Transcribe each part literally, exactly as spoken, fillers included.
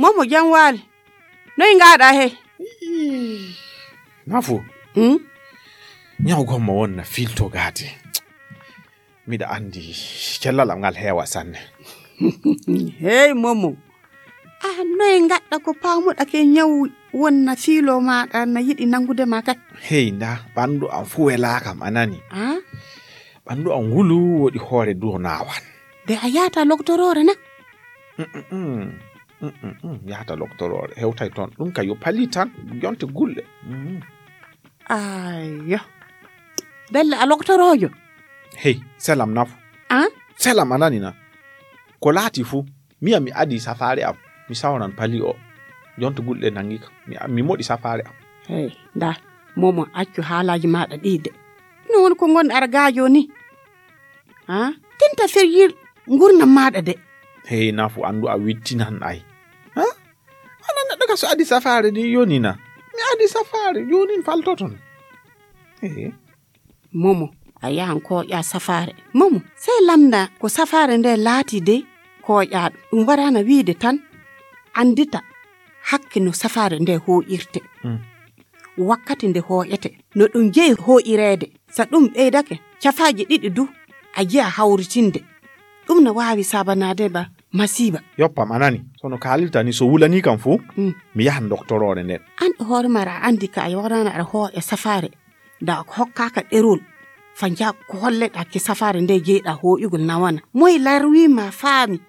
Momo, jam waali. Noy ngaɗa he? Nafu. Hmm? Ñaw gomma wonna filto gaade. Miɗa anndi cellal am ngal heewa sanne. Hey, Momo. A noy ngaɗɗa ko paamuɗa ke ñaw wonna fiilo maɗa na yiɗi nanngude ma kay? Hey, nda, ɓanndu am fuu welaaka am, a nani? Ah? Ɓanndu am wulu woɗi hoore duwo naawan. De a yaata loktoroore na? Mm, mm, mm. Mm, mm, mm. Yaata loktoroore. Hewtay toon. Ɗum ka yo pali tan. Jonte gulle. Mm. Ayyo. Belle a loktoroojo? Hey, selam nafu. Ah? Selam a nani na? Ko laati fuu, miya mi adi safaare am. Mi sawran pali o. Jonte gulle nangi ka. Mi, mi moɗi safaare am. Hey, nda. Momo, accu haalaaji maɗa ɗi de. No woni ko ngonɗa argaajo ni? Ha? Tinta ferjir ngurnam maɗa de. Hey, nafu anndu a wittinan ay. Ha? Ana neɗɗo ka so adi safaare ni yoni na. Mi adi safaare, jonin faltoton. Hey. Momo, a yahan koƴa safaare. Momo, sey lamda ko safaare nde laati de koƴaɗo. Ɗum warana wiide tan anndita hakke no safaare nde hooƴirte. Hmm. Wakkati nde hooƴete, no ɗum jeyi hooƴireede. So ɗum ɓeydake, cafaaji ɗiɗi du, a jiya hawritinde. Ɗum no waawi saabanaade ma masiiba. Yoppam a nani, so no kaalirta ni, so wulanii kam fuu, mm, mi yahan doktoroore nden. An e hoore ma aɗa anndi ka a yoorana aɗa hooƴa safaare, da a hokkaaka ɗerol, fa nja ko holleɗa ki safaare nde jeyɗa hooƴugol nawana. Moy larwi ma faami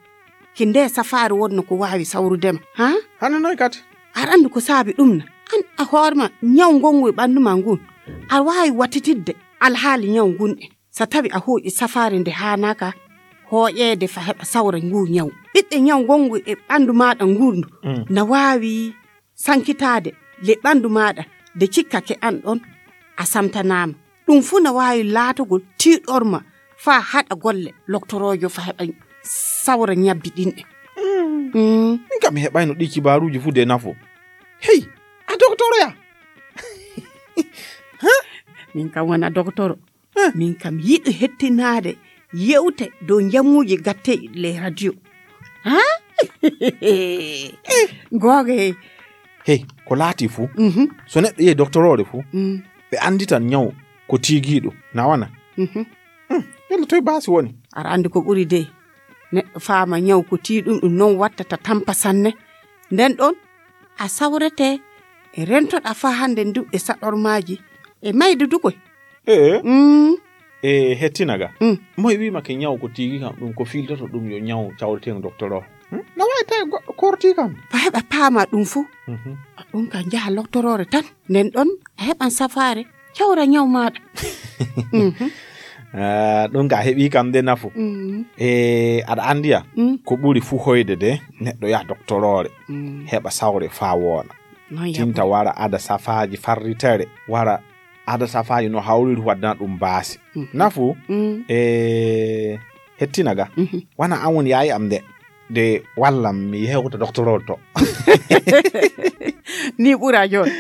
ki nde safaare wonno ko waawi sawrude ma, ha? Hano noy kadi? Aɗa anndi ko saabi ɗum na? An a hoore ma, ñaw ngongu e ɓanndu ma ngun, a waawi wattitidde alhaali ñaw ngun en. So tawi a hooƴi safaare nde haanaaka hooƴeede fa heɓa sawra ngu ñaw. Ɓiɓɓe ñaw ngongu e ɓanndu maaɗa ngundu, mm, na waawi sankitaade le ɓanndu maaɗa nde cikkake an ɗon a samtanaama. Ɗum fuu na waawi laatogol tiiɗorma faa haɗa golle loktoroojo fa heɓa sawra ñabbi ɗin ɗen. Mm. Mm. Min kam mi heɓayno ɗi kibaaruuji fuu de nafo. Hey, a doktoroya? Ha? Min kam wona doktoro. Huh? Min kam yiɗi hettinaade yewte dow njamuuji gatteeɗi le radio. Ha? Googa hey. Hey, ko laati fuu. Mhm. So neɗɗo yehi doktoroore fuu, mm, ɓe annditan ñaw ko tiigiiɗo. Na wana? Mhm. Hmm, yalla toy baasi woni? Aɗa anndi ko ɓuri de. Neɗɗo faama ñaw ko tiiɗum ɗum noon wattata tampa sanne. Nden ɗon a sawrete e rentoɗa faa hannde ndu e saɗormaaji e mayde dukoy. Ee. Mm. E hettina ga. Mm. Moy wiima ke ñaw ko tiigi kam ɗum ko filtoto ɗum yo ñaw cawreten docteur o. Hmm? No wawi tawi goɗɗo korti kam. Fa heɓa paama ɗum fuu. Mhm. Ɗum ka njaha loktoroore tan. Nden ɗon a heɓan safaare cawra ñaw maaɗa. Mhm. Ah, ɗum ka heɓi kam de nafu. Mm. E aɗa andiya, mm, ko ɓuri fuu hoyde de neɗɗo yaha doktoroore. Mm. Heɓa sawre faa wooɗa. Noon tinta yaɓu. Wara ada safaaji farritere, wara ada safaaji no hawriri waddana ɗum baasi. Mhm. Nafu, mm, e hettina ga. Mhm. Wana an woni yaayi am de. De wallam mi yewta docteur to. Ni ɓura jooni.